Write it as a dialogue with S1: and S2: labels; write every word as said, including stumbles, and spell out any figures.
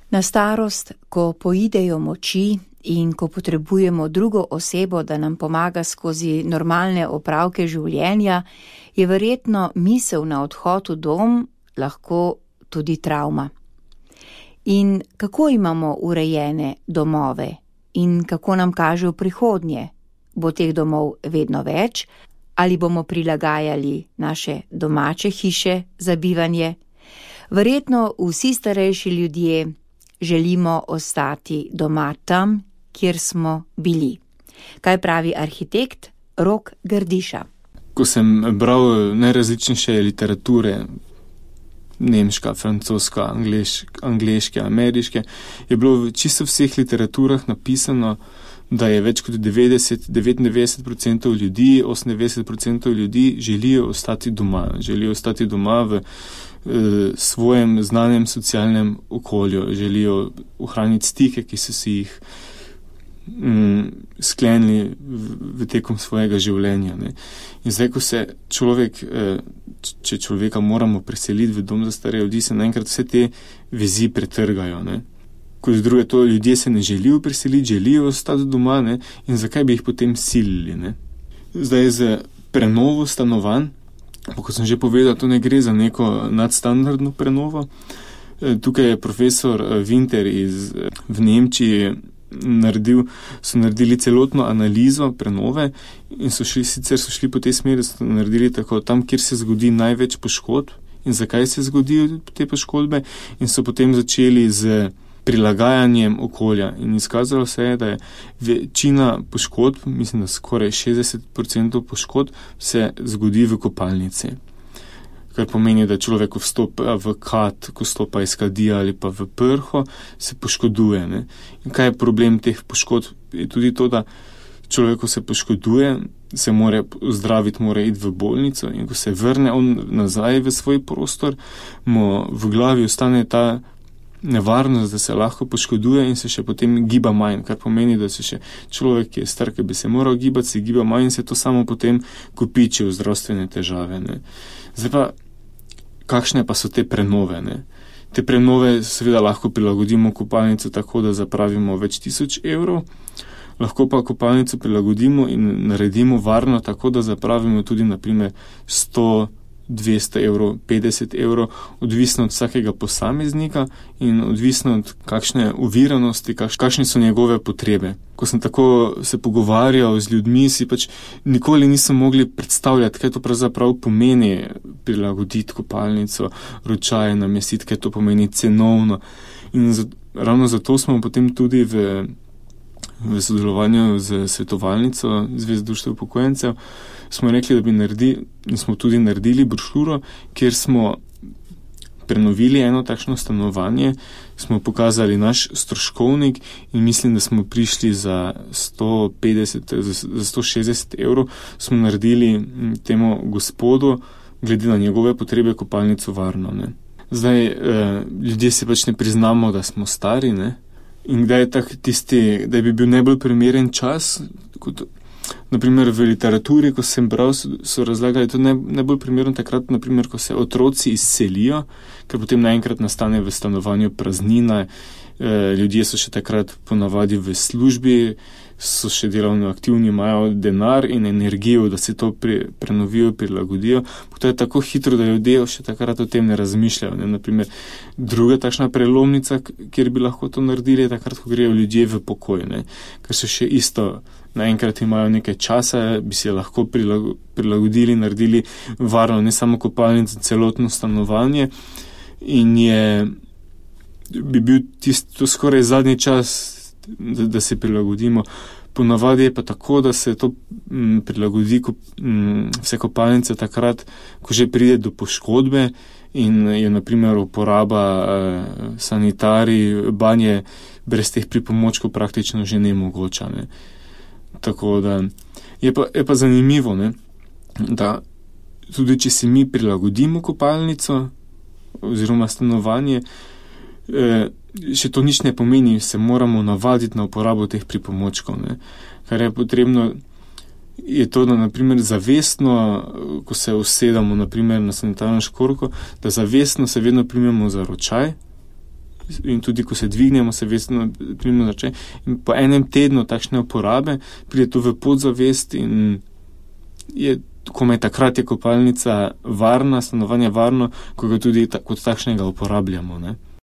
S1: Na starost, ko poidejo moči in ko potrebujemo drugo osebo, da nam pomaga skozi normalne opravke življenja, je verjetno misel na odhod v dom lahko tudi travma. In kako imamo urejene domove in kako nam kaže v prihodnje? Bo teh domov vedno več ali bomo prilagajali naše domače hiše za bivanje? Verjetno vsi starejši ljudje želimo ostati doma tam, kjer smo bili. Kaj pravi arhitekt Rok Grdiša?
S2: Ko sem bral najrazličnejše literature, nemška, francoska, angleš, angleške, ameriške, je bilo v čisto vseh literaturah napisano, da je več kot devetdeset do devetindevetdeset procentov ljudi, osemindevetdeset procentov ljudi želijo ostati doma. Želijo ostati doma v eh, svojem znanem socialnem okolju. Želijo ohraniti stike, ki so si jih mm, sklenili v, v tekom svojega življenja. Ne. In zdaj, ko se človek, eh, če človeka moramo preseliti v dom za stare ljudi, se naenkrat vse te vezi pretrgajo, ne. Kot druge, to ljudje se ne želijo preseliti, želijo ostati doma, ne, in zakaj bi jih potem silili, ne. Zdaj z prenovo stanovanj, kot sem že povedal, to ne gre za neko nadstandardno prenovo. Tukaj je profesor Winter iz, v Nemčiji naredil, so naredili celotno analizo prenove in so šli, sicer so šli po tej smeri, so naredili tako, tam, kjer se zgodi največ poškodb in zakaj se zgodijo te poškodbe, in so potem začeli z prilagajanjem okolja. In izkazalo se je, da je večina poškodb, mislim, da skoraj šestdeset procentov poškodb se zgodi v kopalnici. Kar pomeni, da človek vstopa v kat, ko vstopa iz kadija ali pa v prho, se poškoduje. Ne? In kaj je problem teh poškodb? Je tudi to, da človek, ko se poškoduje, se mora zdraviti, mora iti v bolnico, in ko se vrne on nazaj v svoj prostor, mu v glavi ostane ta nevarnost, da se lahko poškoduje in se še potem giba manj, kar pomeni, da se še človek, ki je star, ki bi se moral gibati, se giba manj in se to samo potem kopiči v zdravstvene težave. Ne. Zdaj pa, kakšne pa so te prenove? Ne? Te prenove seveda lahko prilagodimo kopalnico tako, da zapravimo več tisoč evrov, lahko pa kopalnico prilagodimo in naredimo varno tako, da zapravimo tudi naprimer sto, dvesto evrov, petdeset evrov, odvisno od vsakega posameznika in odvisno od kakšne oviranosti, kakš, kakšne so njegove potrebe. Ko sem tako se pogovarjal z ljudmi, si pač nikoli nisem mogli predstavljati, kaj to pravzaprav pomeni prilagoditi kopalnico, ročaje namestiti, kaj to pomeni cenovno. In za, ravno zato smo potem tudi v, v sodelovanju z svetovalnico Zveze društev upokojencev smo rekli, da bi naredili, in smo tudi naredili brošuro, kjer smo prenovili eno takšno stanovanje, smo pokazali naš stroškovnik in mislim, da smo prišli za sto petdeset, za sto šestdeset evrov, smo naredili temu gospodu, glede na njegove potrebe, kopalnico varno. Ne. Zdaj, eh, ljudje si pač ne priznamo, da smo stari, ne, in kdaj je tak tisti, da bi bil najbolj primeren čas, kot naprimer v literaturi, ko sem bral, so, so razlagali, to ne, najbolj primerno takrat, naprimer, ko se otroci izselijo, ker potem naenkrat nastane v stanovanju praznina, e, ljudje so še takrat ponavadi v službi, so še delovno aktivni, imajo denar in energijo, da se to pri, prenovijo, prilagodijo. To je tako hitro, da ljudje še takrat o tem ne razmišljajo. Ne? Naprimer, druga takšna prelomnica, kjer bi lahko to naredili, je takrat, ko grejo ljudje v pokoj, ne? Ker so še isto, naenkrat imajo nekaj časa, bi se lahko prilagodili, naredili varno, ne samo kopalnico, celotno stanovanje, in je, bi bil tisto skoraj zadnji čas, da, da se prilagodimo. Ponavadi je pa tako, da se to m, prilagodi ko, m, vse kopalnice takrat, ko že pride do poškodbe in je naprimer uporaba eh, sanitarij, banje brez teh pripomočkov praktično že nemogoča. Ne. Tako da je pa, je pa zanimivo, ne, da tudi če si mi prilagodimo kopalnico oziroma stanovanje, eh, še to nič ne pomeni, se moramo navaditi na uporabo teh pripomočkov. Ne. Kar je potrebno, je to, da naprimer zavestno, ko se usedamo naprimer na sanitarno škorko, da zavestno se vedno primemo za ročaj in tudi ko se dvignemo, se vestno primno začne. In po enem tednu takšne uporabe pride to v podzavest in je, ko je takrat je kopalnica varna, stanovanje varno, ko ga tudi ta, kot takšnega uporabljamo, ne.